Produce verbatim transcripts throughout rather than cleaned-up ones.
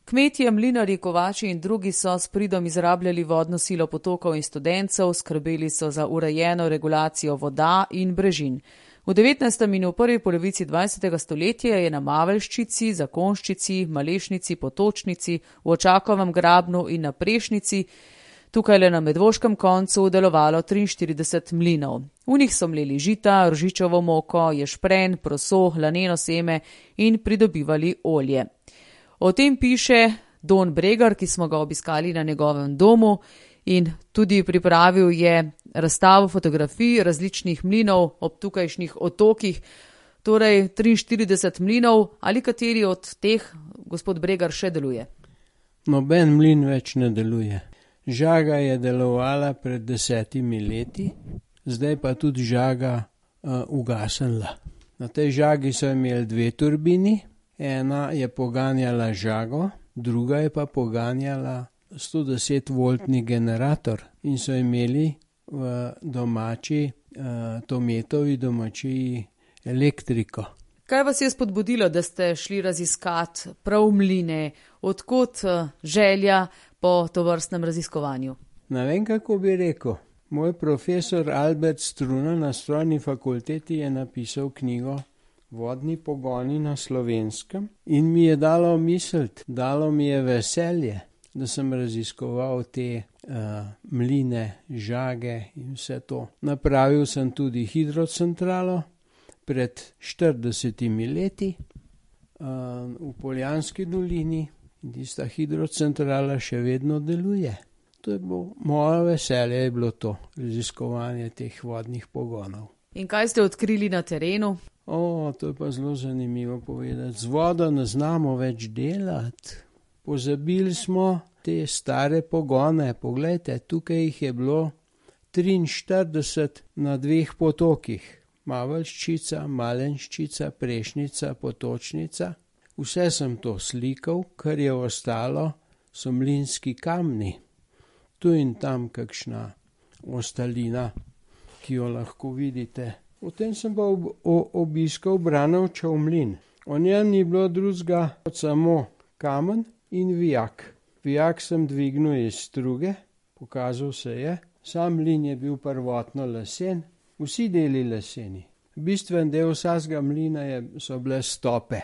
Kmetje, mlinarji, kovači in drugi so s pridom izrabljali vodno silo potokov in studencev, skrbeli so za urejeno regulacijo voda in brežin. V devetnajstem in v prvi polovici dvajsetega stoletja je na Mavelščici, Zakonščici, Malešnici, Potočnici, v Očakovem grabnu in na Prešnici, tukaj le na Medvoškem koncu, delovalo triinštirideset mlinov. V njih so mleli žita, rožičevo moko, ješprenj, proso, laneno seme in pridobivali olje. O tem piše Don Bregar, ki smo ga obiskali na njegovem domu in tudi pripravil je razstavo fotografij različnih mlinov ob tukajšnjih otokih, torej triinštirideset mlinov, ali kateri od teh, gospod Bregar, še deluje? Noben mlin več ne deluje. Žaga je delovala pred desetimi leti, zdaj pa tudi žaga uh, ugasnila. Na tej žagi so imeli dve turbini, ena je poganjala žago, druga je pa poganjala sto deset voltni generator in so imeli v domači, uh, Tometovi domačiji elektriko. Kaj vas je spodbudilo, da ste šli raziskat prav mline? Odkot želja po tovrstnem raziskovanju? Ne vem, kako bi rekel. Moj profesor Albert Struna na strojni fakulteti je napisal knjigo Vodni pogoni na Slovenskem in mi je dalo misliti, dalo mi je veselje, da sem raziskoval te uh, mline, žage in vse to. Napravil sem tudi hidrocentralo pred štiridesetimi leti uh, v Poljanski dolini in tista hidrocentrala še vedno deluje. To je bilo, moje veselje je bilo to, raziskovanje teh vodnih pogonov. In kaj ste odkrili na terenu? O, to je pa zelo zanimivo povedati. Z vodo ne znamo več delati. Pozabili smo te stare pogone. Poglejte, tukaj jih je bilo triinštirideset na dveh potokih. Mavelščica, Malenščica, Prešnica, Potočnica. Vse sem to slikal, kar je ostalo, so mlinski kamni. Tu in tam kakšna ostalina, ki jo lahko vidite. Potem sem pa ob, o, obiskal Branovčev mlin. O njem ni bilo drugega kot samo kamen in vijak. Vijak sem dvignil iz struge, pokazal se je. Sam mlin je bil prvotno lesen, vsi deli leseni. Bistven del vsega mlina je, so bile stope.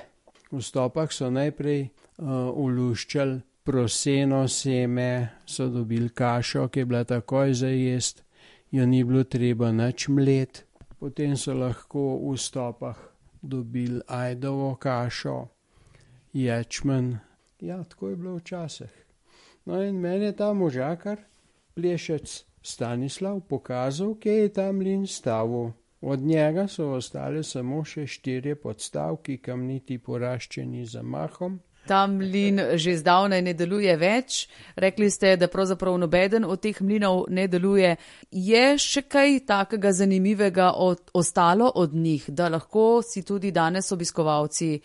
V stopah so najprej uh, uluščali proseno seme, so dobili kašo, ki je bila takoj za jest, jo ni bilo treba nič mlet. Potem so lahko v stopah dobili ajdovo kašo, ječmen. Ja, tako je bilo včasih. No in meni je ta možakar, plešec Stanislav, pokazal, kje je ta mlin stavil. Od njega so ostale samo še štirje podstavki, kamniti poraščeni z zamahom. Ta mlin že zdavnaj ne deluje več. Rekli ste, da pravzaprav nobeden od teh mlinov ne deluje. Je še kaj takega zanimivega od, ostalo od njih, da lahko si tudi danes obiskovalci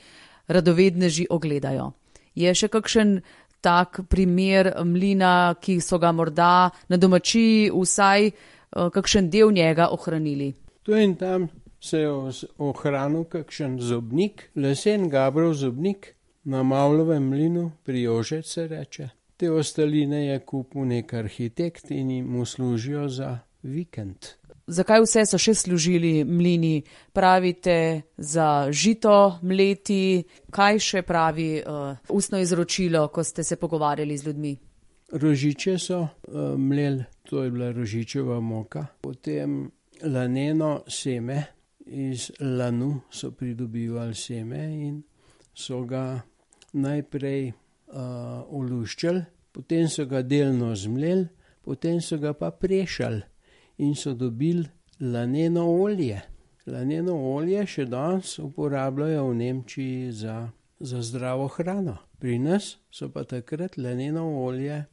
radovedneži ogledajo? Je še kakšen tak primer mlina, ki so ga morda na domačiji vsaj uh, kakšen del njega ohranili? Tu in tam se je ohranil kakšen zobnik, lesen Gabrov zobnik, na Mavlovem mlinu, pri Jožec se reče. Te ostaline je kupil nek arhitekt in mu služijo za vikend. Zakaj vse so še služili mlini? Pravite za žito mleti, kaj še pravi uh, ustno izročilo, ko ste se pogovarjali z ljudmi? Rožiče so uh, mleli, to je bila rožičeva moka. Potem laneno seme, iz lanu so pridobivali seme in so ga najprej uh, oluščali, potem so ga delno zmleli, potem so ga pa prešali in so dobili laneno olje. Laneno olje še danes uporabljajo v Nemčiji za, za zdravo hrano. Pri nas so pa takrat laneno olje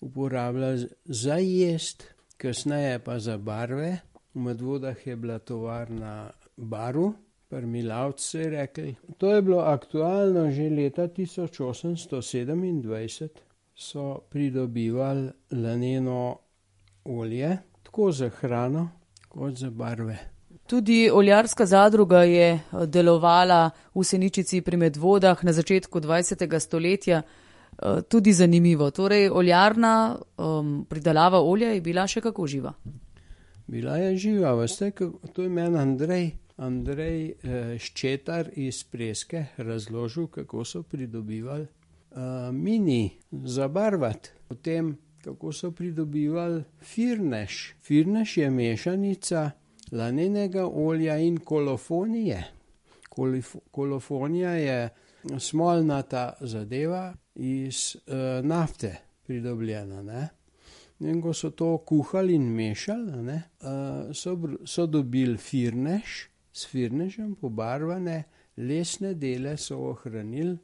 uporabljali za jest, kasneje pa za barve. V Medvodah je bila tovarna barv, pri Milavcu se je rekli. To je bilo aktualno že leta tisoč osemsto sedemindvajset, so pridobivali laneno olje, tako za hrano kot za barve. Tudi oljarska zadruga je delovala v Seničici pri Medvodah na začetku dvajsetega stoletja. tudi zanimivo. Torej, oljarna um, pridelava olja je bila še kako živa? Bila je živa, veste, to je meni Andrej, Andrej eh, Ščetar iz Preske razložil, kako so pridobivali eh, mini zabarvati. Potem, kako so pridobivali firneš. Firneš je mešanica lanenega olja in kolofonije. Kolif- kolofonija je smolnata zadeva iz uh, nafte pridobljena, ne. In ko so to kuhali in mešali, ne, uh, so, so dobili firneš, s firnešem pobarvane lesne dele so ohranili,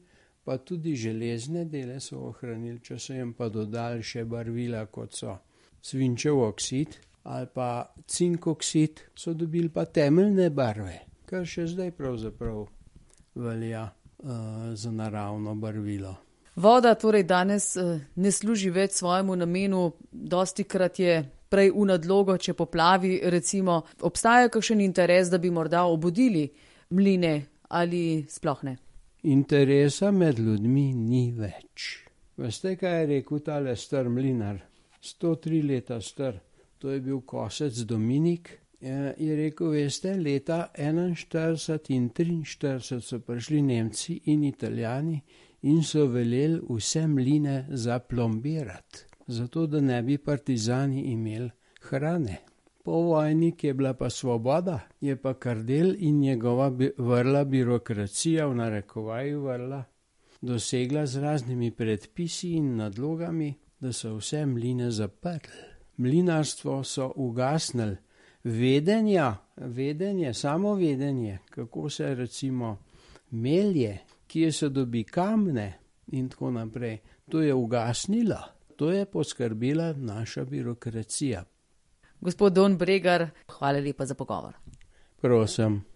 pa tudi železne dele so ohranili, če so jim pa dodali še barvila, kot so svinčev oksid ali pa cink oksid, so dobili pa temeljne barve, kar še zdaj pravzaprav velja za naravno barvilo. Voda torej danes ne služi več svojemu namenu, dostikrat je prej v nadlogo, če poplavi, recimo, obstaja kakšen interes, da bi morda obudili mline ali sploh ne? Interesa med ljudmi ni več. Veste, kaj je rekel tale star mlinar? sto tri leta star, to je bil Kosec Dominik. Je rekel, veste, leta enainštirideset in triinštirideset so prišli Nemci in Italijani in so veleli vse mline zaplombirati, zato da ne bi partizani imeli hrane. Po vojni, ki je bila pa svoboda, je pa Kardelj in njegova vrla birokracija, v narekovaju vrla, dosegla z raznimi predpisi in nadlogami, da so vse mline zaprli. Mlinarstvo so ugasnili. Vedenja, vedenje, samo vedenje, kako se recimo melje, kje se dobi kamne in tako naprej, to je ugasnilo. To je poskrbela naša birokracija. Gospod Don Bregar, hvala lepa za pogovor. Prosim.